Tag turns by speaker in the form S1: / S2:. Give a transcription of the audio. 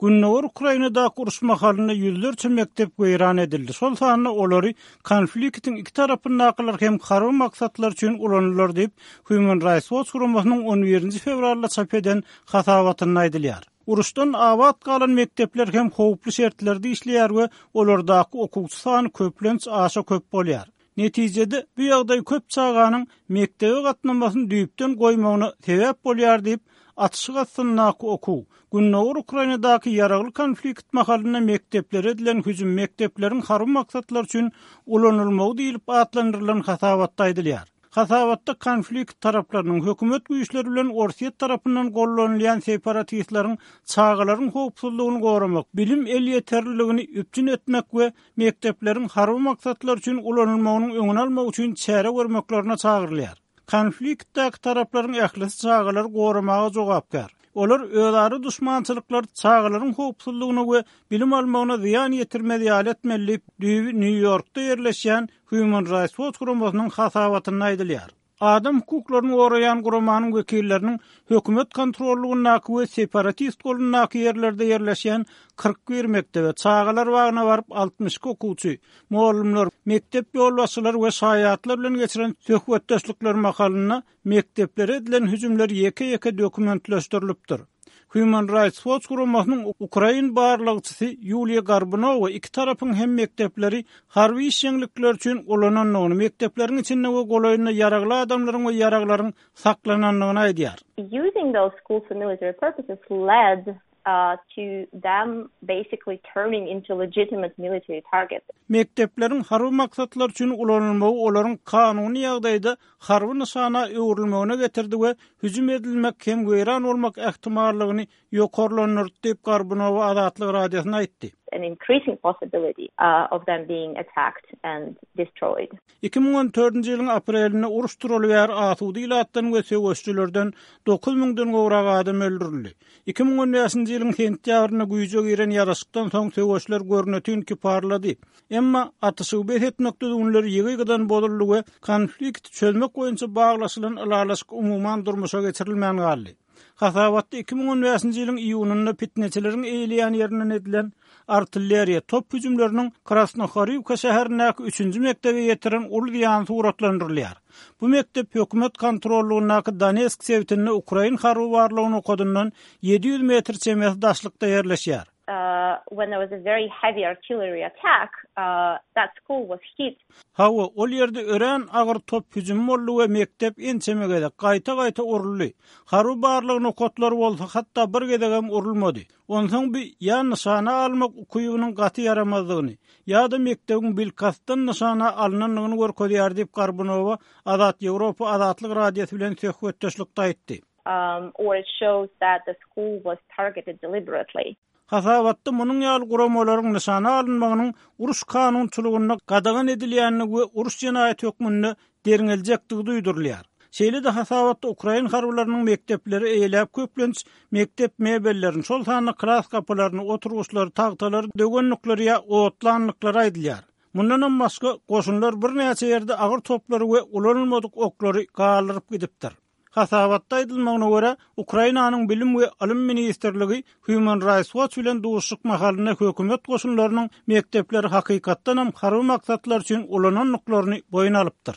S1: Gündogar Ukrainadaky uruş mahalynda ýüzlerçe mekdep weýran edildi, şol sanda olary konfliktiň iki tarapyndakylar hem harby maksatlar üçin ulanylar diýip, Human Rights Watch guramasynyň on birinji fewralda çap eden hasabatynda aýdylýar. Uruşdan abat galan mekdepler hem howply şertlerde işleýär we olardaky okuwçy sany köplenç aşa köp bolýar. Netijede, bu ýagdaý köp çaganyň mekdebe gatnamasyny düýpden goýmagyna sebäp bolýar diýip, atyşyk astyndaky okuw, Gündogar Ukrainadaky ýaragly konflikt mahalynda mekdeplere edilen hüjüm mekdepleriň harby maksatlar üçin ulanylmagy diýlip atlandyrylan hasabatda aýdylýar. Hasabatda konflikt taraplarynyň, hökümet güýçleri bilen Orsýet tarapyndan gollanylýan separatistleriň çagalaryň howpsuzlygyny goramak, bilim elýeterliligini üpjün etmek we mekdepleriň harby maksatlar üçin ulanylmagynyň öňüni almak üçin çäre görmeklerine çagyrylýar. Konfliktdäki taraplaryň ählisi çagalary goramaga jogapkär. Olar özara duşmançylyklar çagalaryň howpsuzlygyna we bilim almagyna zyýan ýetirmez ýaly etmeli diýip, düýbi Nýu-Ýorkda ýerleşýän Human Rights Watch guramasynyň hasabatynda aýdylýar. Adam hukuklaryny goraýan guramanyň wekilleriniň hökümet kontrollygyndaky we separatist golundaky ýerlerde ýerleşýän 41 mekdebe, çagalar bagyna baryp 62 okuwçy, mugallymlar, mekdep ýolbaşçylary we şaýatlar bilen geçiren söhbetdeşlikleri mahalynda mekdeplere edilen hüjümler ýeke-ýeke dokumentleşdirilipdir. Human Rights Watch guramasynyň ukrain barlagçysy Ýuliýa Gorbunowa iki tarapyň hem mekdepleri harby işjeňlikler üçin ulanandygyny, mekdepleriň içinde we golaýynda ýaragly adamlaryň we ýaraglaryň saklanandygyny aýdýar.
S2: Using those schools for military purposes led to them basically turning into legitimate military targets.
S1: Mekdepleriň harby maksatlar üçin ulanylmagy olaryň kanuny ýagdaýda harby nyşana öwrülmegine getirdi we hüjüm edilmek hem weýran bolmak ähtimallygyny ýokarlandyrdy diýip, Gorbunowa Azatlyk Radiosyna aýtdy.
S2: An increasing possibility of them being attacked and destroyed.
S1: 2014-nji ýylyň aprelinde uruş turaly bäri asuda ilatdan we söweşijilerden 9 müňden gowrak adam öldürildi. 2015-nji ýylyň sentýabrynda güýje giren ýaraşykdan soň söweşler görnetin kiparlady. Emma atyşygy bes etmek düzgünleri ýygy-ýygydan bozuldy we konflikti çözmek boýunça baglaşylan ylalaşyk umuman durmuşa geçirilmän galdy. Hasabatda 2015-nji ýylyň iýunynda pitneçileriň eýeleýän ýerinden edilen artilleriýa, top hüjümleriniň Krasnohoriwka şäherindäki üçünji mekdebe ýetiren uly zyýany suratlandyrylýar. Bu mekdep hökümet kontrollygyndaky Donetsk sebitinde ukrain harby barlag nokadyndan 700 metr çemesi daşlykda ýerleşýär.
S2: When there was a very heavy artillery attack, that school was hit.
S1: Hawa, ol ýerde örän agyr top hüjümi boldy we mekdep ençeme gezek, gaýta-gaýta uruldy. Harby barlag nokatlary bolsa hatda bir gezegem urulmady. Onsoň bi ýa nyşana almak ukybynyň gaty ýaramazdygyny, ýa-da mekdebiň bilkastdan nyşana alnandygyny görkezýär diýip, Gorbunowa Azat Ýewropa Azatlyk Radiosy bilen söhbetdeşlikde aýtdy.
S2: Or it shows that the school was targeted deliberately.
S1: Hasabatda munuň ýaly guramalaryň nyşana alynmagynyň uruş kanunçylygynda gadagan edilýändigi we uruş jenaýaty hökmünde derňeljekdigi duýdurylýar. Şeýle-de hasabatda ukrain harbylarynyň mekdepleri eýeläp köplenç mekdep mebellerini, şol sanda klas gapylaryny, oturgyçlary, tagtalary döwendikleri ýa otlandyklary aýdylýar. Mundanam başga, goşunlar birnäçe ýerde agyr toplary we ulanylmadyk oklary galdyryp gidipdir. Hasabatda aýdylmagyna görä, Ukrainanyň Bilim we ylym ministrligi Human Rights Watch bilen duşuşyk mahalynda hökümet goşunlarynyň mekdepleri hakykatdanam harby maksatlar üçin ulanandyklaryny boýun alypdyr.